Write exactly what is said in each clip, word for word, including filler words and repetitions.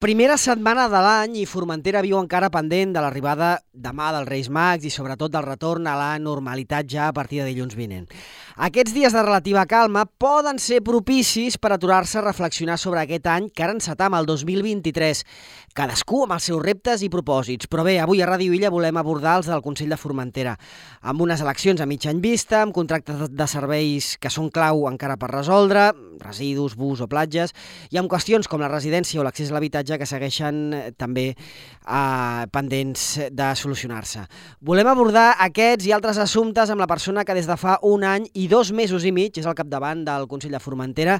Primera setmana de l'any i Formentera viu encara pendent de l'arribada demà dels Reis Mags i sobretot del retorn a la normalitat ja a partir de dilluns vinent. Aquests dies de relativa calma poden ser propicis per aturar-se a reflexionar sobre aquest any que ara encetam, el dos mil vint-i-tres. Cadascú amb els seus reptes i propòsits. Però bé, avui a Ràdio Illa volem abordar els del Consell de Formentera, amb unes eleccions a mig any vista, amb contractes de serveis que són clau encara per resoldre, residus, bus o platges, i amb qüestions com la residència o l'accés a l'habitatge que segueixen també eh, pendents de solucionar-se. Volem abordar aquests i altres assumptes amb la persona que des de fa un any i dos mesos i mig és al capdavant del Consell de Formentera,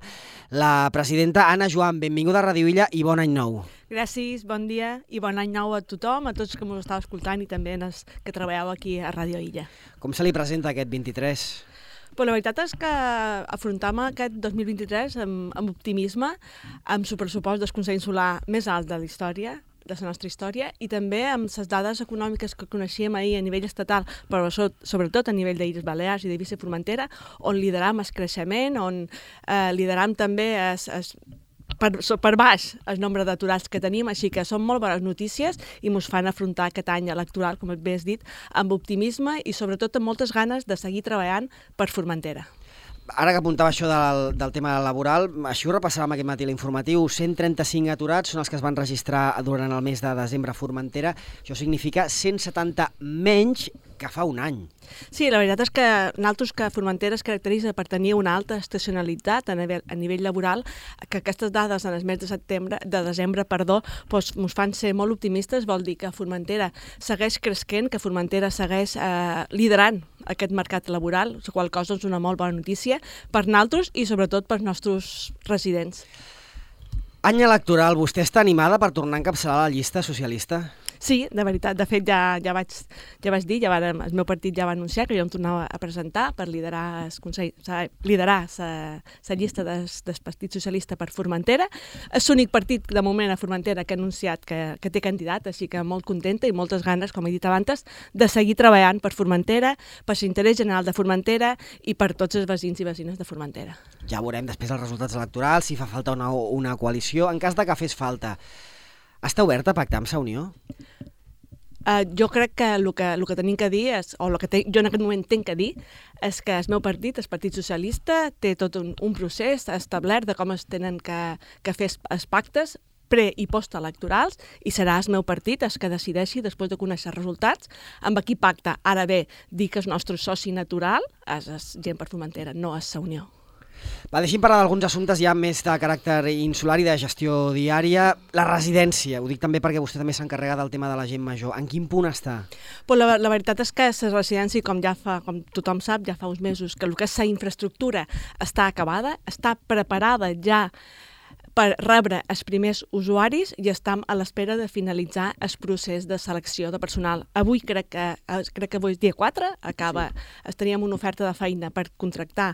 la presidenta Anna Joan. Benvinguda a Ràdio Illa i bon any nou. Gràcies, bon dia i bon any nou a tothom, a tots que m'ho estàu escoltant i també als que treballeu aquí a Ràdio Illa. Com se li presenta aquest vint-i-tres? Però la veritat és que afrontem aquest dos mil vint-i-tres amb, amb optimisme, amb el pressupost del Consell Insular més alt de la història, de la nostra història, i també amb les dades econòmiques que coneixíem ahir a nivell estatal, però sobretot a nivell d'Illes Balears i de Vice Formentera, on lideram el creixement, on eh, lideram també es, es, per, per baix el nombre d'aturats que tenim, així que són molt bones notícies i ens fan afrontar aquest any electoral, com bé has dit, amb optimisme i sobretot amb moltes ganes de seguir treballant per Formentera. Ara que apuntava això del, del tema laboral, així ho repassàvem aquest matí a l'informatiu, cent trenta-cinc aturats són els que es van registrar durant el mes de desembre a Formentera. Això significa cent setanta menys que fa un any. Sí, la veritat és que nosaltres que Formentera es caracteritza per tenir una alta estacionalitat a nivell, a nivell laboral, que aquestes dades en el mes de setembre, de desembre, perdó, doncs ens fan ser molt optimistes, vol dir que Formentera segueix creixent, que Formentera segueix eh, liderant aquest mercat laboral, la qual cosa és una molt bona notícia per nosaltres i sobretot per nostres residents. Any electoral, vostè està animada per tornar a encapçalar la llista socialista? Sí, de veritat. De fet, ja, ja, vaig, ja vaig dir, ja va, el meu partit ja va anunciar que jo em tornava a presentar per liderar el Consell, liderar la llista del, del Partit Socialista per Formentera. És l'únic partit de moment a Formentera que ha anunciat que, que té candidat, així que molt contenta i moltes ganes, com he dit abans, de seguir treballant per Formentera, per l'interès general de Formentera i per tots els veïns i veïnes de Formentera. Ja veurem després els resultats electorals, si fa falta una, una coalició. En cas de que fes falta, està oberta a pactar amb la Unió? Uh, jo crec que el que, el que tenim que dir, és, o el que te, jo en aquest moment tinc que dir, és que el meu partit, el Partit Socialista, té tot un, un procés establert de com es tenen que, que fer els pactes pre- i postelectorals, i serà el meu partit el que decideixi, després de conèixer els resultats, amb qui pacta. Ara bé, dir que el nostre soci natural és, és gent per Formentera, no és la Unió. Va, deixi'm parlar d'alguns assumptes ja més de caràcter insular i de gestió diària. La residència, ho dic també perquè vostè també s'encarrega del tema de la gent major. En quin punt està? Pues la, la veritat és que la residència, com ja fa, com tothom sap, ja fa uns mesos, que el que és la infraestructura està acabada, està preparada ja per rebre els primers usuaris i estem a l'espera de finalitzar el procés de selecció de personal. Avui, crec que, crec que avui és dia quatre, acaba, sí. Teníem una oferta de feina per contractar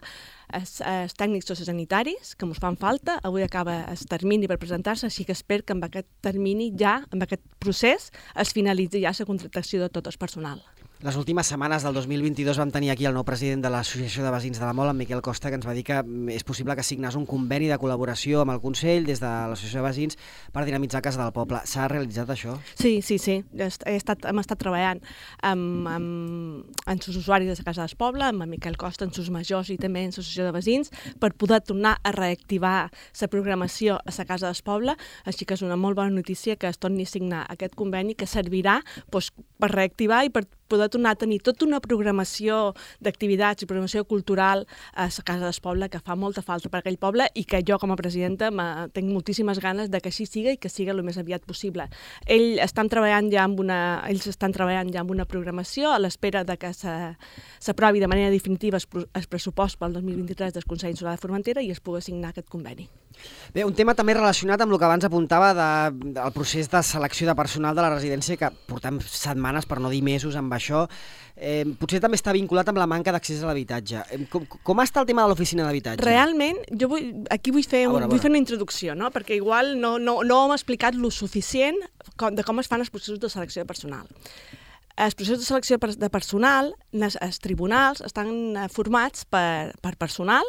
els, els tècnics sociosanitaris, que ens fan falta. Avui acaba el termini per presentar-se, així que espero que amb aquest termini ja, amb aquest procés, es finalitzi ja la contractació de tot el personal. Les últimes setmanes del dos mil vint-i-dos vam tenir aquí el nou president de l'Associació de Veïns de la Mol, en Miquel Costa, que ens va dir que és possible que signés un conveni de col·laboració amb el Consell des de l'Associació de Veïns per dinamitzar Casa del Poble. S'ha realitzat això? Sí, sí, sí. He estat, hem estat treballant amb, amb, amb els usuaris de la Casa del Poble, amb Miquel Costa, amb els majors i també amb l'Associació de Veïns, per poder tornar a reactivar la programació a la Casa del Poble, així que és una molt bona notícia que es torni a signar aquest conveni que servirà doncs, per reactivar i per poder tornar a tenir tota una programació d'activitats i programació cultural a la Casa del Poble que fa molta falta per aquell poble i que jo com a presidenta tinc moltíssimes ganes de que així siga i que siga el més aviat possible. Ells estan treballant ja amb una, ells estan treballant ja amb una programació a l'espera de que s'aprovi de manera definitiva el pressupost pel dos mil vint-i-tres del Consell Insular de Formentera i es pugui signar aquest conveni. Bé, un tema també relacionat amb el que abans apuntava de, del procés de selecció de personal de la residència, que portem setmanes, per no dir mesos, amb això. Eh, potser també està vinculat amb la manca d'accés a l'habitatge. Com, com està el tema de l'oficina d'habitatge? Realment, jo vull, aquí vull fer, un, vull fer una introducció, no? Perquè igual no, no, no hem explicat lo suficient com, de com es fan els processos de selecció de personal. Els processos de selecció de personal, els tribunals estan formats per, per personal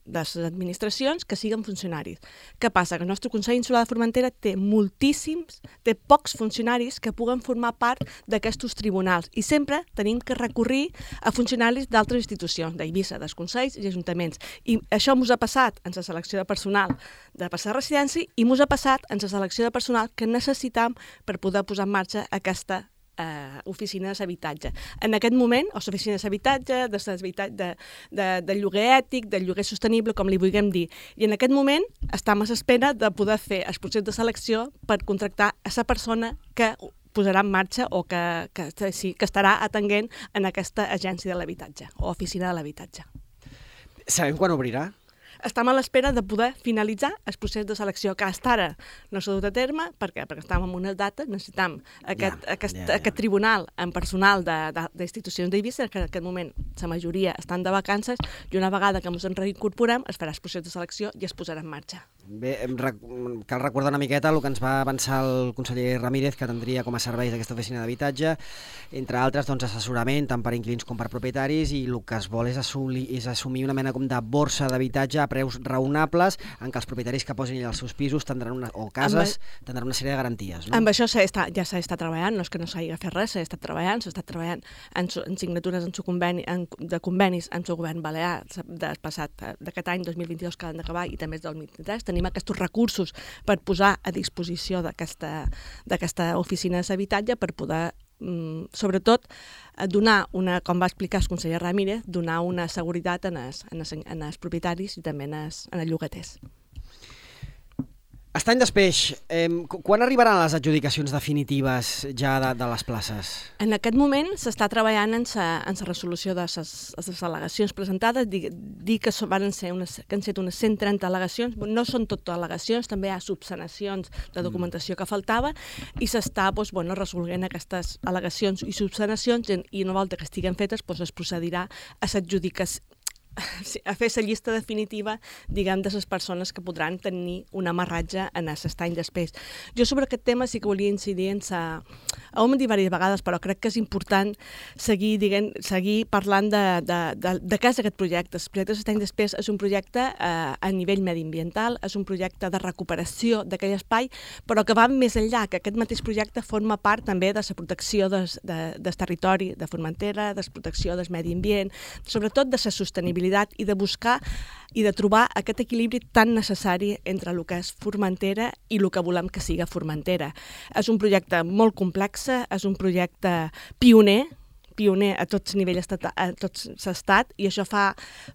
de les administracions que siguin funcionaris. Què passa? Que el nostre Consell Insular de Formentera té moltíssims, té pocs funcionaris que puguen formar part d'aquests tribunals i sempre tenim que recurrir a funcionaris d'altres institucions, d'Eivissa, dels consells i ajuntaments. I això ens ha passat en la selecció de personal de passar residència i ens ha passat en la selecció de personal que necessitam per poder posar en marxa aquesta Uh, oficines d'habitatge. En aquest moment, o oficines d'habitatge, de, de, de, de lloguer ètic, de lloguer sostenible, com li vulguem dir. I en aquest moment estem a l'espera de poder fer el procés de selecció per contractar a la persona que posarà en marxa o que, que, sí, que estarà atenent en aquesta agència de l'habitatge o oficina de l'habitatge. Sabem quan obrirà? Estem a l'espera de poder finalitzar el procés de selecció, que fins ara no s'ha dut a terme. Per què? Perquè estàvem en unes dates, necessitam aquest, ja, aquest, ja, ja. aquest tribunal en personal d'institucions d'Eivissa, que en aquest moment la majoria estan de vacances, i una vegada que ens en reincorporem es farà el procés de selecció i es posarà en marxa. Bé, cal recordar una miqueta el que ens va avançar el conseller Ramírez, que tindria com a serveis aquesta oficina d'habitatge, entre altres doncs, assessorament tant per inquilins com per propietaris, i el que es vol és, assolir, és assumir una mena com de borsa d'habitatge a preus raonables, en què els propietaris que posin els seus pisos tindran una, o cases amb, tindran una sèrie de garanties. No? Amb això està, ja s'ha estat treballant, no és que no s'hagi fet res, s'ha estat treballant, s'ha estat treballant en, en signatures en su conveni, en, de convenis amb el govern balear del passat d'aquest any dos mil vint-i-dos que han d'acabar i també del dos mil vint-i-tres. Tenim aquests recursos per posar a disposició d'aquesta oficina d'habitatge per poder, mm, sobretot, donar una, com va explicar el conseller Ramírez, donar una seguretat en els, en els, en els propietaris i també en els, en els llogaters. Està any després, eh, quan arribaran les adjudicacions definitives ja de, de les places? En aquest moment s'està treballant en la resolució de les al·legacions presentades. Dir, dir que, van ser unes, que han estat unes cent trenta al·legacions, no són totes al·legacions, també hi ha subsanacions de documentació que faltava, i s'està doncs, bueno, resolent aquestes al·legacions i subsanacions, i una volta que estiguen fetes doncs, es procedirà a l'adjudicació, a fer la llista definitiva, diguem, de les persones que podran tenir un amarratge en aquest any després. Jo sobre aquest tema sí que volia incidir en sa... Ho hem dit diverses vegades, però crec que és important seguir, diguem, seguir parlant de, de, de, de què és aquest projecte. El projecte de l'any després és un projecte eh, a nivell mediambiental, és un projecte de recuperació d'aquell espai, però que va més enllà, que aquest mateix projecte forma part també de la protecció des, de, del territori de Formentera, de la protecció del medi ambient, sobretot de la sostenibilitat i de buscar i de trobar aquest equilibri tan necessari entre el que és Formentera i el que volem que siga Formentera. És un projecte molt complex, és un projecte pioner, pioner a tots nivells, a tot l'estat, i això fa,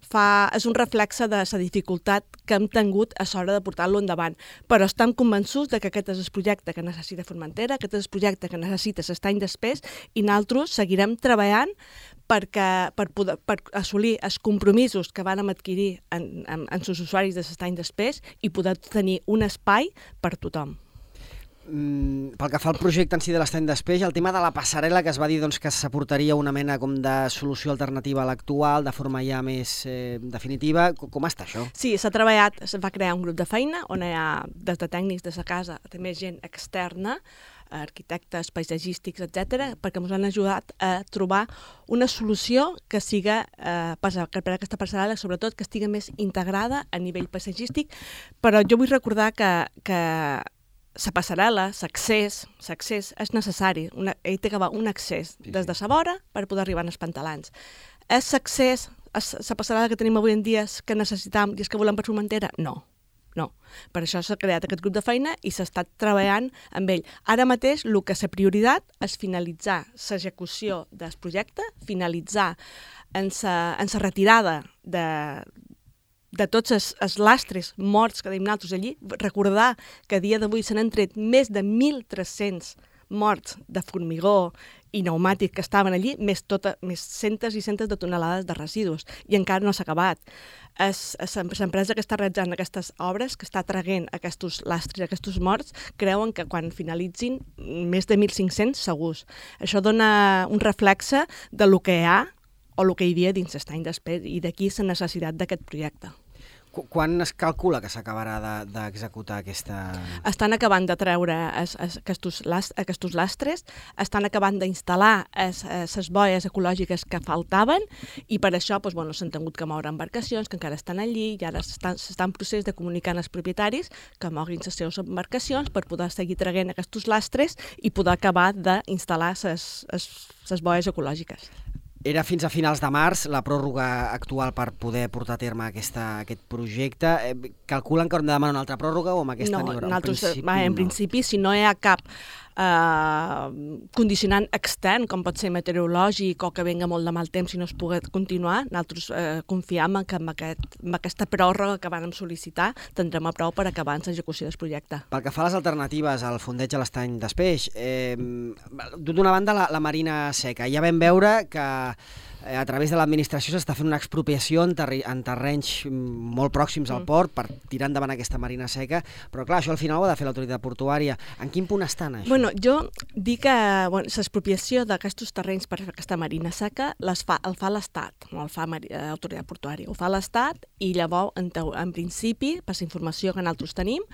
fa, és un reflexe de la dificultat que hem tingut a l'hora de portar-lo endavant. Però estem convençuts de que aquest és el projecte que necessita Formentera, aquest és el projecte que necessita l'any després, i nosaltres seguirem treballant perquè, per, poder, per assolir els compromisos que vam adquirir en, en, en els usuaris de l'any després i poder tenir un espai per tothom. Mm, pel que fa al projecte en si de l'estany després, el tema de la passarel·la, que es va dir doncs, que s'aportaria una mena com de solució alternativa a l'actual, de forma ja més eh, definitiva, com, com està això? Sí, s'ha treballat, es va crear un grup de feina on hi ha des de tècnics de la casa, també gent externa, arquitectes, paisatgístics, etcètera, perquè ens han ajudat a trobar una solució que siga, eh, per aquesta passarel·la, sobretot que estigui més integrada a nivell paisatgístic, però jo vull recordar que, que la passarel·la, l'accés, l'accés és necessari, una, ell té que haver un accés des de la vora per poder arribar als pantalans. És l'accés, la passarel·la que tenim avui en dia que necessitam i és que volem per Formentera? No. No, per això s'ha creat aquest grup de feina i s'ha estat treballant amb ell. Ara mateix el que és la prioritat és finalitzar l'execució del projecte, finalitzar en la retirada de, de tots els, els lastres morts que tenim nosaltres allí. Recordar que a dia d'avui se n'han tret més de mil tres-cents morts de formigó i pneumàtic que estaven allí, més, tota, més centes i centes de tonelades de residus, i encara no s'ha acabat. És, és l'empresa que està realitzant aquestes obres, que està traient aquests lastres, aquests morts, creuen que quan finalitzin més de mil cinc-cents segurs. Això dona un reflexe de lo que hi ha o el que hi havia dins l'estany després, i d'aquí la necessitat d'aquest projecte. Quan es calcula que s'acabarà d'executar aquesta... Estan acabant de treure aquests lastres, estan acabant d'instal·lar les boies ecològiques que faltaven i per això s'han tingut que moure embarcacions que encara estan allí i ara s'està en procés de comunicar als propietaris que moguin les seves embarcacions per poder seguir traient aquests lastres i poder acabar d'instal·lar les boies ecològiques. Era fins a finals de març la pròrroga actual per poder portar a terme aquesta, aquest projecte. Eh, calculen que haurem de demanar una altra pròrroga o amb aquesta no, n'hi haurà? Nosaltres, en principi, va, en no. principi, si no hi ha cap eh, condicionant extern, com pot ser meteorològic o que venga molt de mal temps i no es pugui continuar, nosaltres eh, confiem que amb, aquest, amb aquesta pròrroga que vam sol·licitar tindrem a prou per acabar amb l'execució del projecte. Pel que fa a les alternatives al fondeig a l'estany d'Espeix, eh, d'una banda la, la marina seca. Ja vam veure que eh, a través de l'administració s'està fent una expropiació en, terri en terrenys molt pròxims al port per tirar endavant aquesta marina seca, però clar, això al final ho ha de fer l'autoritat portuària. En quin punt estan, això? Bueno, jo dic que bueno, l'expropiació d'aquests terrenys per aquesta marina seca les fa, el fa l'Estat, no el fa l'autoritat portuària, ho fa l'Estat i llavors, en, en principi, per la informació que nosaltres tenim,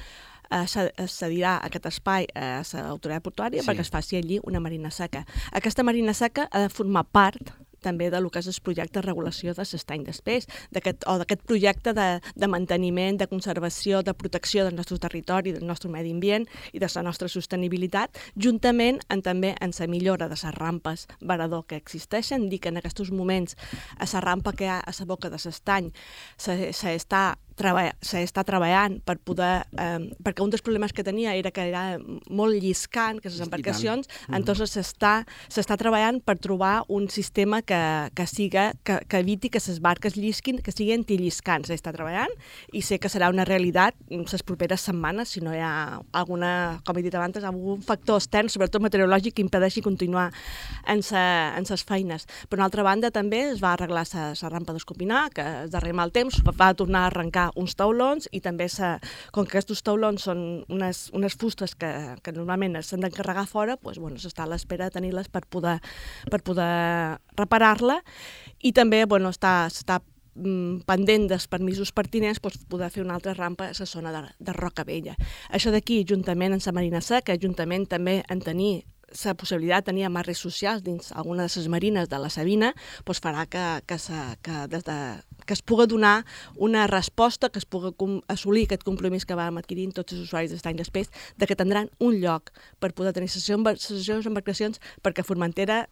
es cedirà aquest espai a l'autoritat portuària sí. perquè es faci allí una marina seca. Aquesta marina seca ha de formar part també del que és el projecte de regulació de l'estany d'Espeix, o d'aquest projecte de, de manteniment, de conservació, de protecció del nostre territori, del nostre medi ambient i de la nostra sostenibilitat, juntament amb, també en la millora de les rampes varador que existeixen. Dic que en aquests moments a la rampa que hi ha a la boca de l'estany s'està s'està treballant per poder, eh, perquè un dels problemes que tenia era que era molt lliscant, que les embarcacions, entonces s'està s'està treballant per trobar un sistema que, que, siga, que, que eviti que les barques llisquin, que siguin antilliscants. S'està treballant i sé que serà una realitat les properes setmanes, si no hi ha alguna, com he dit abans, algun factor extern, sobretot meteorològic, que impedeixi continuar en les feines. Per una altra banda, també es va arreglar la rampa d'Escopinar, que es darrer mal temps va tornar a arrencar uns taulons i també, se, com que aquests taulons són unes, unes fustes que, que normalment s'han d'encarregar fora, doncs, bueno, s'està a l'espera de tenir-les per poder, per poder reparar-la i també bueno, està, està mm, pendent dels permisos pertinents doncs, poder fer una altra rampa a la zona de, de Roca Vella. Això d'aquí, juntament amb la Marina Seca, juntament també en tenir la possibilitat de tenir amarres socials dins alguna de les marines de la Sabina doncs farà que, que, se, que, des de, que es pugui donar una resposta, que es pugui assolir aquest compromís que vam adquirir tots els usuaris d'estany d'Espeix, de que tindran un lloc per poder tenir les seves embarcacions, perquè a Formentera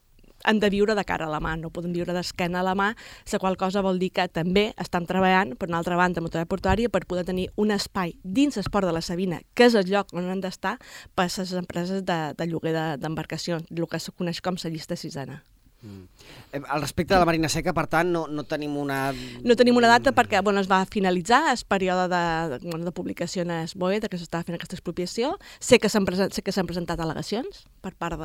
han de viure de cara a la mà, no poden viure d'esquena a la mà, la qual cosa vol dir que també estan treballant, per una altra banda, amb l'autoritat portuària per poder tenir un espai dins el port de la Sabina, que és el lloc on han d'estar per a les empreses de, de lloguer d'embarcacions, el que se coneix com la llista sisena. Mm. Al respecte de la Marina Seca, per tant, no, no tenim una... No tenim una data perquè bueno, es va finalitzar el període de, de, bueno, de publicació en el B O E, de que s'estava fent aquesta expropiació. Sé que s'han present, sé que s'han presentat al·legacions per part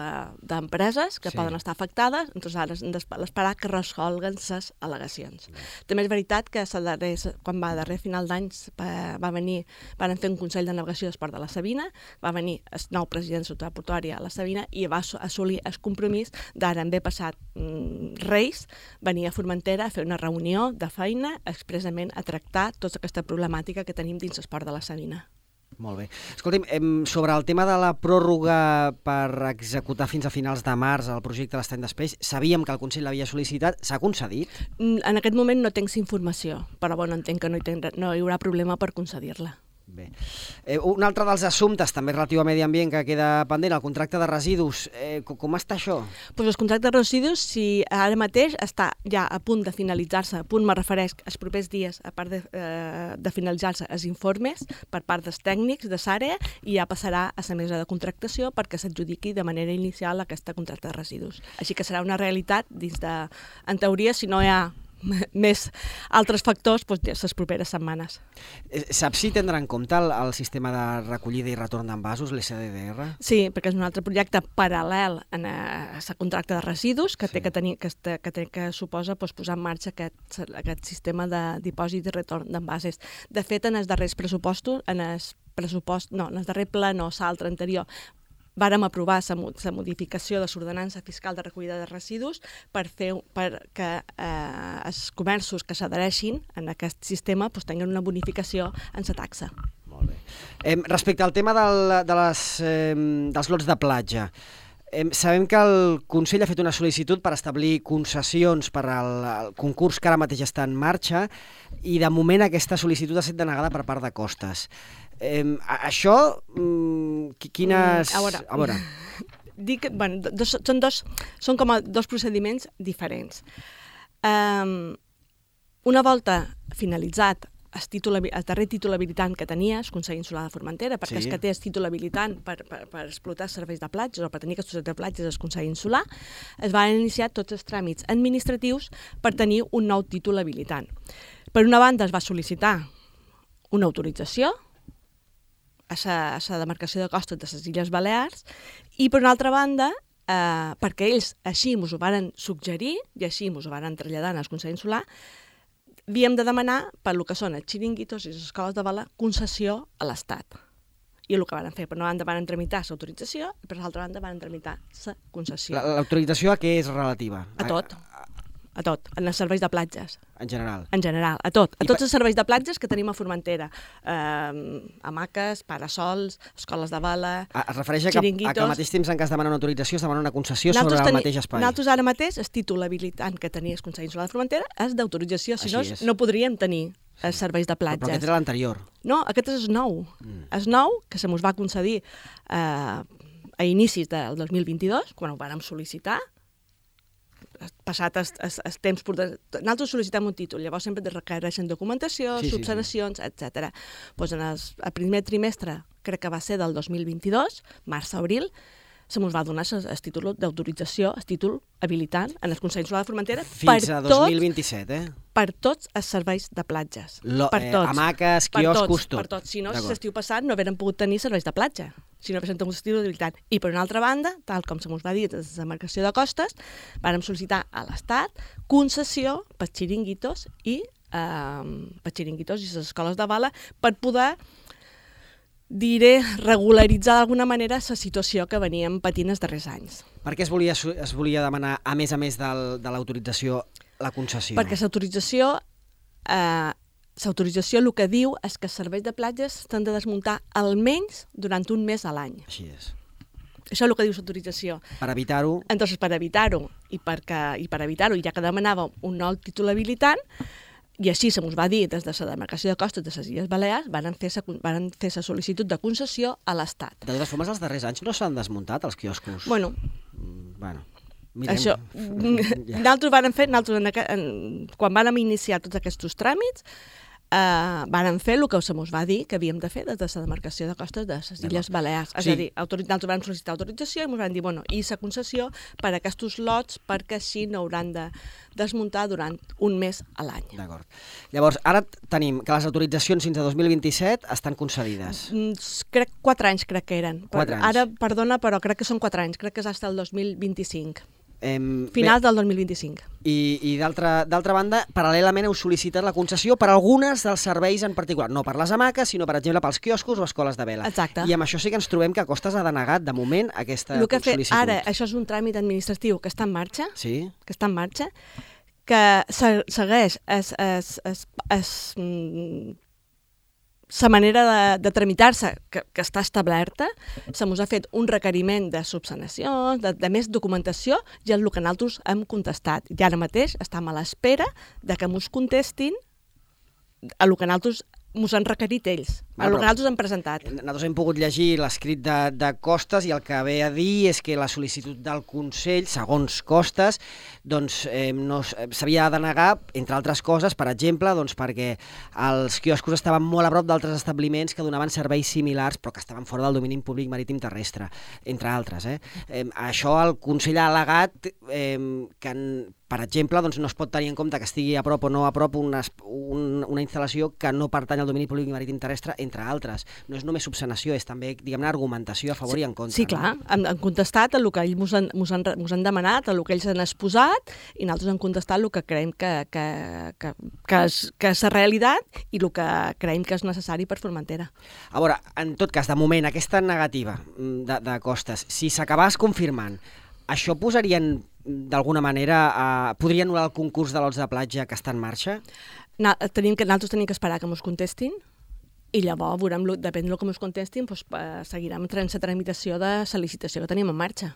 d'empreses de, que sí. poden estar afectades, doncs ara hem d'esperar que resolguen les al·legacions. Mm. També és veritat que darrer, quan va darrer final d'any va venir, van fer un Consell de Navegació d'Esport de la Sabina, va venir el nou president de l'autoritat portuària a la Sabina i va assolir el compromís d'ara en ve passat Reis venir a Formentera a fer una reunió de feina expressament a tractar tota aquesta problemàtica que tenim dins l'esport de la Sabina. Molt bé. Escolti'm, sobre el tema de la pròrroga per executar fins a finals de març el projecte de l'estany d'Espeix, sabíem que el Consell l'havia sol·licitat, s'ha concedit? En aquest moment no tinc informació, però bueno, entenc que no hi, tindrà, no hi haurà problema per concedir-la. Bé. Eh, un altre dels assumptes, també relatiu a medi ambient, que queda pendent, el contracte de residus. Eh, com està això? Pues el contracte de residus, si ara mateix està ja a punt de finalitzar-se, a punt me refereix els propers dies, a part de, eh, de finalitzar-se els informes per part dels tècnics de l'àrea i ja passarà a la mesa de contractació perquè s'adjudiqui de manera inicial aquest contracte de residus. Així que serà una realitat dins de, en teoria, si no hi ha més altres factors doncs, les properes setmanes. Saps si tindrà en compte el, el sistema de recollida i retorn d'envasos, l'S D D R? Sí, perquè és un altre projecte paral·lel a la contracte de residus que, sí. té que, tenir, que, que, té que suposa doncs, posar en marxa aquest, aquest sistema de dipòsit i retorn d'envasos. De fet, en els darrers pressupostos, en el pressupost, no, en el darrer ple, no, l'altre anterior, vàrem aprovar la modificació de l'ordenança fiscal de recollida de residus per fer perquè eh, els comerços que s'adhereixin en aquest sistema doncs, tinguin una bonificació en la taxa. Molt bé. Eh, respecte al tema del, de les, eh, dels lots de platja, eh, sabem que el Consell ha fet una sol·licitud per establir concessions per al, al concurs que ara mateix està en marxa i de moment aquesta sol·licitud ha estat denegada per part de Costes. Eh, això, mm, quines... Mm, a veure, a veure. Dic, bueno, dos, són, dos, són com a dos procediments diferents. Um, una volta finalitzat el, títol, el darrer títol habilitant que tenia el Consell Insular de Formentera, perquè sí. És que té el títol habilitant per, per, per explotar serveis de platges o per tenir aquests de platges el Consell Insular, es van iniciar tots els tràmits administratius per tenir un nou títol habilitant. Per una banda es va sol·licitar una autorització a la demarcació de costes de les Illes Balears i per una altra banda, eh, perquè ells així ens ho van suggerir i així ens ho van traslladar al Consell Insular, havíem de demanar per lo que són els xiringuitos i les escoles de vela concessió a l'Estat. I el que van fer, per una banda van tramitar l'autorització i per l'altra banda van tramitar la concessió. L'autorització a què és relativa? A tot. A tot, en els serveis de platges. En general? En general, a tot. A tots els serveis de platges que tenim a Formentera. Eh, hamaques, parasols, escoles de vela, es refereix a que, a que al mateix temps en cas de demanar una autorització es demana una concessió sobre el mateix espai. Nosaltres ara mateix, el títol habilitant que tenia el Consell Insular de Formentera és d'autorització, si no, no podríem tenir els serveis de platges. Però aquest era l'anterior. No, aquest és el nou. Mm. És nou, que se mos va concedir eh, a inicis del dos mil vint-i-dos, quan ho vàrem sol·licitar, passat el, el, el temps... Nosaltres sol·licitem un títol, llavors sempre requereixen documentació, sí, subsanacions, sí, sí. etcètera. Pues en el, el primer trimestre, crec que va ser del dos mil vint-i-dos, març-abril, se ens va donar el títol d'autorització, el títol habilitant en el Consell Insular de Formentera fins a dos mil vint-i-set, eh? Per tots els serveis de platges. Lo, per tots. Eh, hamaques, quioscos, tot. Per tots. Si no, l'estiu passat no haguérem pogut tenir serveis de platja, si no haguéssim tingut el títol habilitant. I per una altra banda, tal com se ens va dir des de la demarcació de costes, vàrem sol·licitar a l'Estat concessió per xiringuitos i eh, per xiringuitos i les escoles de vela per poder diré, regularitzar d'alguna manera la situació que veníem patint els darrers anys. Per què es volia, es volia demanar, a més a més del, de l'autorització, la concessió? Perquè l'autorització, eh, l'autorització el que diu és que els serveis de platges s'han de desmuntar almenys durant un mes a l'any. Així és. Això és el que diu l'autorització. Per evitar-ho... Entonces, per evitar-ho, i, perquè, i per evitar-ho, ja que demanàvem un nou títol habilitant, i així se mos va dir des de la demarcació de costes de les Illes Balears, van fer la sol·licitud de concessió a l'Estat. De totes formes, els darrers anys no s'han desmuntat els quioscos? Bueno, mm, bueno mirem. Això, ja. Nosaltres vam fer, nosaltres en, en, quan vam iniciar tots aquests tràmits, Uh, vàrem fer el que se mos va dir que havíem de fer des de la demarcació de costes de les Illes Balears. És sí. a dir, nosaltres vam sol·licitar autorització i ens van dir, bueno, i la concessió per a aquests lots perquè així no hauran de desmuntar durant un mes a l'any. D'acord. Llavors, ara tenim que les autoritzacions fins a dos mil vint-i-set estan concedides. Mm, crec quatre anys crec que eren. Quatre anys. Ara, perdona, però crec que són quatre anys. Crec que és fins al dos mil vint-i-cinc. Eh, Finals bé, del dos mil vint-i-cinc. I, i d'altra banda, paral·lelament heu sol·licitat la concessió per algunes dels serveis en particular, no per les hamaques, sinó, per exemple, pels quioscos o escoles de vela. Exacte. I amb això sí que ens trobem que Costes ha denegat, de moment, aquesta el que sol·licitud. Fet, ara, això és un tràmit administratiu que està en marxa, sí? que està en marxa, que segueix es, es, es, es, es, la manera de, de tramitar-se que, que està establerta, se mos ha fet un requeriment de subsanacions, de, de més documentació, i és el que nosaltres hem contestat. I ara mateix estem a l'espera de que mos contestin a el que nosaltres mos han requerit ells, a el que nosaltres hem presentat. Nosaltres hem pogut llegir l'escrit de, de Costes i el que ve a dir és que la sol·licitud del Consell, segons Costes, doncs, eh, no, s'havia de denegar, entre altres coses, per exemple, doncs, perquè els quioscos estaven molt a prop d'altres establiments que donaven serveis similars però que estaven fora del domini públic marítim terrestre, entre altres. Eh? Eh, això el Consell ha al·legat eh, que en, per exemple, doncs no es pot tenir en compte que estigui a prop o no a prop una, un, una instal·lació que no pertany al domini públic i marítim terrestre, entre altres. No és només subsanació, és també, diguem-ne, argumentació a favor sí, i en contra. Sí, clar, no? han, han contestat el que ells mos han, mos han, mos han demanat, el que ells han exposat, i nosaltres han contestat el que creiem que, que, que, que, és, que és la realitat i el que creiem que és necessari per Formentera. A veure, en tot cas, de moment, aquesta negativa de, de costes, si s'acabés confirmant, això posarien d'alguna manera, eh, podria anul·lar el concurs de lots de platja que està en marxa? Na, tenim que, nosaltres tenim que esperar que ens contestin i llavors, veurem, depèn del que ens contestin, doncs, eh, seguirem la tramitació de la licitació que tenim en marxa.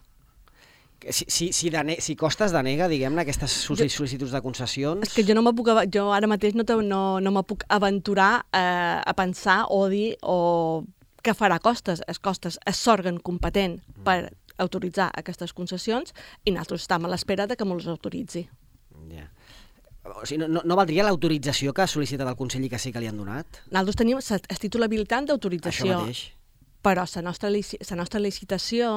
Si, si, si, dene, si Costes denega, diguem-ne, aquestes sol·licituds de concessions... És que jo no me puc, jo ara mateix no, te, no, no me puc aventurar eh, a pensar o dir o què farà Costes. Es Costes és l'òrgan competent per autoritzar aquestes concessions i nosaltres estem a l'espera de que ens autoritzi. Ja. O sigui, no, no valdria l'autorització que ha sol·licitat el Consell i que sí que li han donat? Nosaltres tenim el títol habilitant d'autorització. Això mateix. Però la nostra, la nostra licitació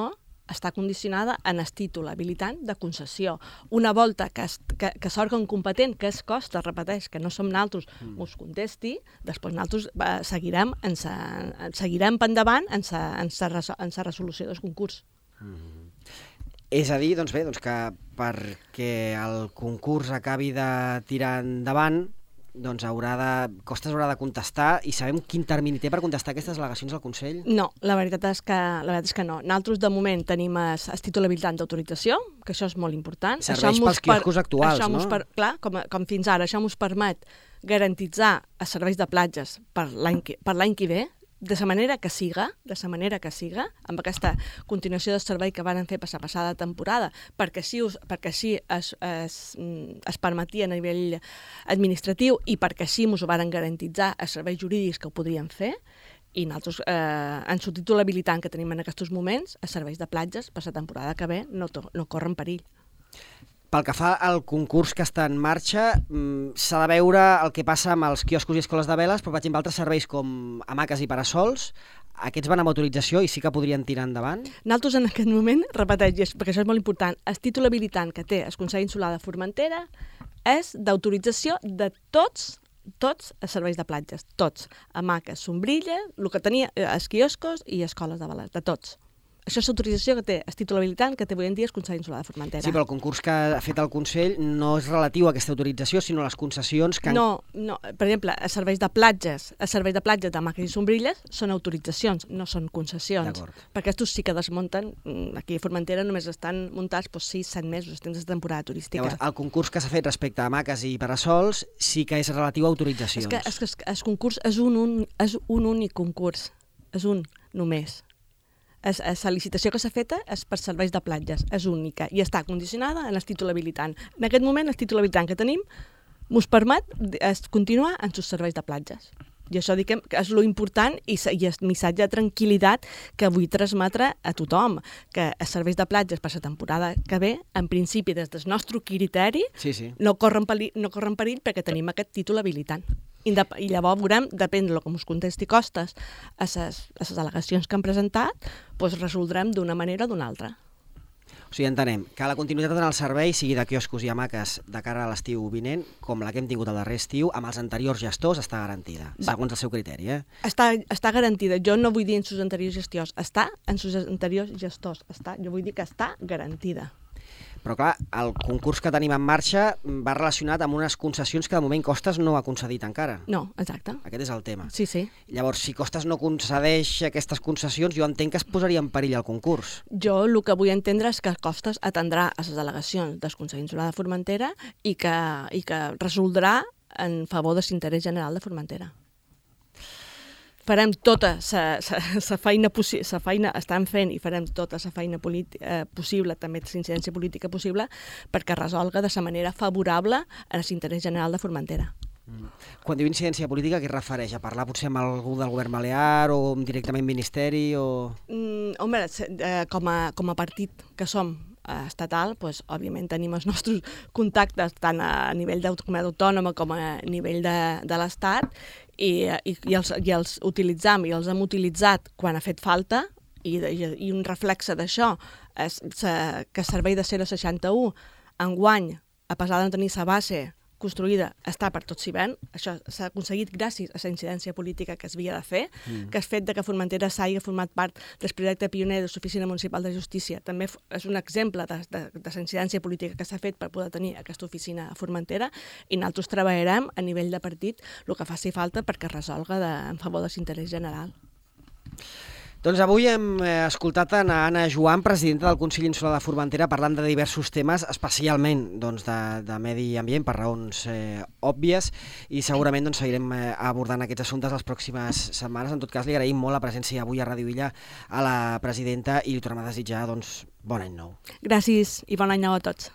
està condicionada en el títol habilitant de concessió. Una volta que, es, que, que l'òrgan competent, que és Costes, repeteix, que no som nosaltres, mm. us contesti, després nosaltres eh, seguirem, en sa, en, seguirem endavant en la resolució del concurs. Mm. És a dir, doncs bé, doncs que perquè el concurs acabi de tirar endavant, doncs haurà de, Costes haurà de contestar, i sabem quin termini té per contestar aquestes al·legacions al Consell? No, la veritat és que, la veritat és que no. Nosaltres, de moment, tenim el títol habilitant d'autorització, que això és molt important. Serveix pels quioscos actuals, això no? Per, clar, com, com fins ara, això ens permet garantitzar els serveis de platges per l'any per l'any que ve, de la manera que siga, de la manera que siga, amb aquesta continuació del servei que van fer per la passada temporada, perquè així, perquè així es, es, es permetia a nivell administratiu i perquè així ens ho van garantitzar els serveis jurídics que ho podien fer, i nosaltres, eh, en el títol habilitant que tenim en aquests moments, els serveis de platges per la temporada que ve no, no corren perill. Pel que fa al concurs que està en marxa, s'ha de veure el que passa amb els quioscos i escoles de veles, però, per exemple, altres serveis com hamaques i parasols, aquests van amb autorització i sí que podrien tirar endavant? Nosaltres, en aquest moment, repeteix, perquè això és molt important, el títol habilitant que té el Consell Insular de Formentera és d'autorització de tots tots els serveis de platges, tots. Hamaques, sombrilla, el que tenia els quioscos i escoles de veles, de tots. Això és l'autorització que té el títol habilitant que té avui en dia el Consell Insular de Formentera. Sí, però el concurs que ha fet el Consell no és relatiu a aquesta autorització, sinó a les concessions que... Han... No, no, per exemple, els serveis de platges, els serveis de platges d'hamaques i sombrilles són autoritzacions, no són concessions. Perquè estos sí que desmunten, aquí a Formentera només estan muntats doncs, sis set mesos, temps de temporada turística. Llavors, el concurs que s'ha fet respecte a hamaques i parasols sí que és relatiu a autoritzacions. És que, és que el concurs és un, un, és un únic concurs, és un només. La licitació que s'ha feta és per serveis de platges, és única i està condicionada en el títol habilitant. En aquest moment, el títol habilitant que tenim ens permet continuar en els serveis de platges. I això dic que és lo important i el missatge de tranquil·litat que vull transmetre a tothom, que els serveis de platges per la temporada que ve, en principi, des del nostre criteri, sí, sí. no corren perill, no corren perill perquè tenim aquest títol habilitant. I llavors veurem, depèn del que ens contesti Costes a les al·legacions que han presentat, doncs resoldrem d'una manera o d'una altra. O sigui, entenem que la continuïtat en el servei, sigui de quioscos i hamaques de cara a l'estiu vinent, com la que hem tingut el darrer estiu, amb els anteriors gestors està garantida, Va. segons el seu criteri, eh? Està, està garantida. Jo no vull dir en sus anteriors gestors, està en sus anteriors gestors. Està, jo vull dir que està garantida. Però clar, el concurs que tenim en marxa va relacionat amb unes concessions que de moment Costes no ha concedit encara. No, exacte. Aquest és el tema. Sí, sí. Llavors, si Costes no concedeix aquestes concessions, jo entenc que es posaria en perill el concurs. Jo el que vull entendre és que Costes atendrà a les al·legacions del Consell Insular de Formentera i que, i que resoldrà en favor de l'interès general de Formentera. Farem tota la feina, feina, estan fent i farem tota la feina eh, possible, també l'incidència política possible, perquè resolga de la manera favorable a l'interès general de Formentera. Mm. Quan diu incidència política, què es refereix? A parlar potser amb algú del govern balear o directament ministeri? O... Mm, home, eh, com, a, com a partit que som estatal, doncs, òbviament tenim els nostres contactes tant a nivell de comunitat autònoma com a nivell de, de l'Estat i, i, i, els, i els utilitzam i els hem utilitzat quan ha fet falta i, i, i un reflexe d'això és que el servei de zero a seixanta-u enguany a pesar de no tenir la base construïda, està per tot s'hi ven. Això s'ha aconseguit gràcies a la incidència política que es havia de fer, mm. que el fet de que Formentera s'hagi format part del projecte pioner de l'Oficina Municipal de Justícia també és un exemple de, de, de la incidència política que s'ha fet per poder tenir aquesta oficina a Formentera, i nosaltres treballarem a nivell de partit el que faci falta perquè es resolga de, en favor de l'interès general. Doncs avui hem escoltat a Anna Joan, presidenta del Consell Insular de Formentera, parlant de diversos temes, especialment doncs, de, de medi ambient, per raons eh, òbvies, i segurament doncs, seguirem eh, abordant aquests assumptes les pròximes setmanes. En tot cas, li agraïm molt la presència avui a Ràdio Illa a la presidenta i li tornem a desitjar doncs, bon any nou. Gràcies i bon any nou a tots.